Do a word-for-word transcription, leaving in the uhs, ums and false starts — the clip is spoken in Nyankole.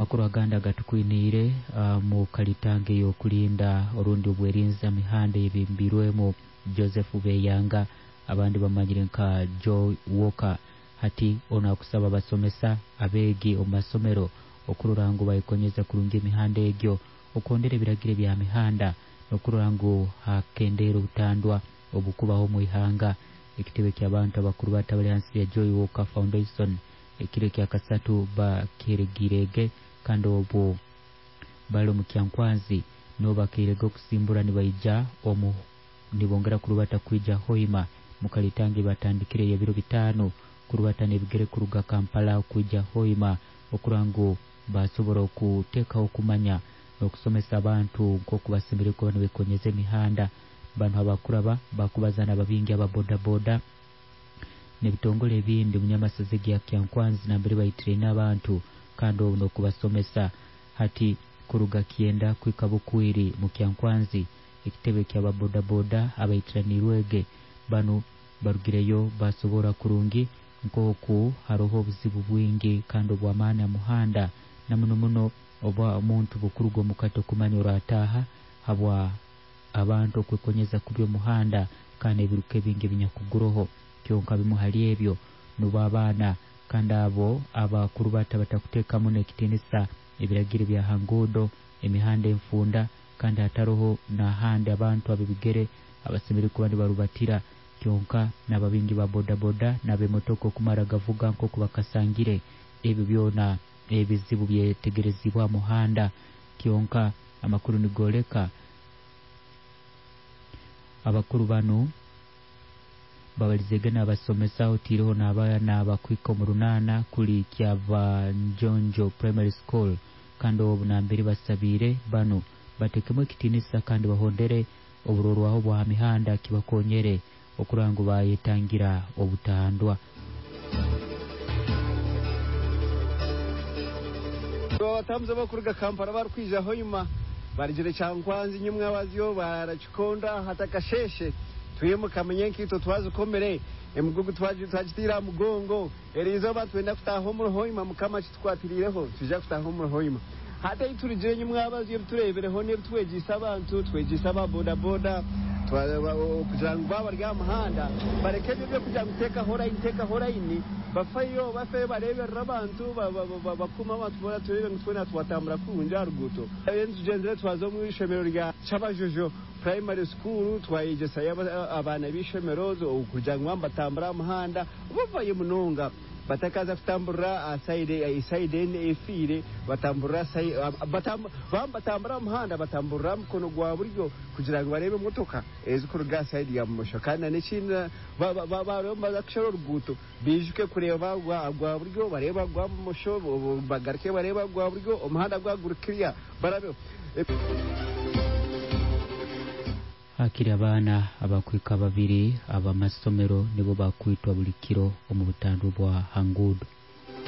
Amakuru agandi agatukwiniire mu kalitange y'okulinda orundi obwerinzi mihanda eyebimbirwemu Joseph Beyanga, abandi bamanyire nka Joe Walker. Hati ono akusaba abasomesa abeegi omu masomero okurora ngu bayekonyeza kurungi emihanda egyo, okuhondera ebiragiro ebya mihanda n'okurora ngu hakendeera obutandwa obukubaho omu ihanga. Ekitebe ky'abantu abakuru bata bali hansi ya Joy Walker Foundation ekiro ekyakasatu bakiheregiirege, kandi obu bali omu Kyankwanzi nibo bakeirege okusimbura nibaija omu nibongera kurubata kwija Hoima mukalitange batandikire ebiro bitaano kurubata n'ebigere kuruga Kampala kwija Hoima okurora ngu basobora okuteekaho okumanya n'okusomesa abantu nk'oku basemeriire kuba nibekonyeza emihanda. Banu abakuraba bakubaza n'ababingi aba bodaboda n'ebitongole ebindi munyamasaza egya Kyankwanzi nambere baitiraine abantu, kandi obu n'okubasomesa. Hati kuruga Kyenda kuhika Bukwiri mu Kyankwanzi, ekitebe ky'aba bodaboda abaitiraniirwege banu barugireyo basobora kurungi nk'oku haroho obuzibu bwingi kandi obw'amaani aha muhanda, na muno muno oba omuntu bukuruga omuka tokumanya orataaha habwa abantu okwekonyeza kubi omuhanda kandi ebiruka ebingi ebinyakuguroho. Kyonka bimu hali ebyo nubo abaana kandi abo abakurubata batakuteekamu n'ekitiinisa ebiragiro ebya ha nguudo, emihanda enfunda, kandi hataroho n'ahandi abantu ab'ebigere abasemeriire kuba nibarubatira. Kyonka n'ababingi ba bodaboda n'ab'emotoka okumara gavuga nk'oku bakasangire, ebyo byona ebizibu byetegerezibwa aha muhanda. Kyonka amakuru nigooleka abakuru banu babalizege n'abasomesa otiireho n'abaana abakuhika omu runaana kuli Kyabanjonjo Primary School, kandi obu nambere basabiire banu batekemu ekitiinisa kandi bahondere oburorwaho bwa ha mihanda kibakonyere okurora ngu bayetangira obutandwa. Abatambuzi abakuruga Kampala barikwija Hoima barugire Kyankwanzi nyimwabazyo barakikonda hatakasheshe twimuka menye nkaitwe twazikomere emigugu twagitiire aha mugongo. Eriizooba twenda kutaaha omuri Hoima, Mukama kitukwatiriireho twija kutaaha omuri Hoima. Hati ei turugire nyimwabazyo ebitureebireho n'ebitwegyeise abantu, twegyeise aba bodaboda kugira ngu baaba bari aha muhanda bareke ebyo ebyokugira ngu teekaho layini, teekaho layini, bafeyo bafeyo bareeberera abantu, bakuume abantu boona tureebe ngu twena twatambura kurungi aha ruguuto. Tugyenzire twaza omu ishomero rya Kyabajojo Primary School, twayegyesayo abaana b'eishomero kugira ngu nibatambura aha muhanda bavayo munonga batakaza kutamburira sayidi efiire, batamburira batambura aha muhanda batamburira aha mukono gwa buryo kugira ngu bareebe emotoka ezikuruga aha sayidi ya bumosho. Kandi n'ekindi baaba nibaza kushara oruguuto bijuke kureeba gwa buryo bareeba gwa bumosho, bagaruke bareeba gwa buryo, omuhanda gwaba guri kiriya barabeho. Hakiri abaana abakuhika babiri abamasomero nibo bakwitwa buli kiro omu butandwa bwa ha nguudo.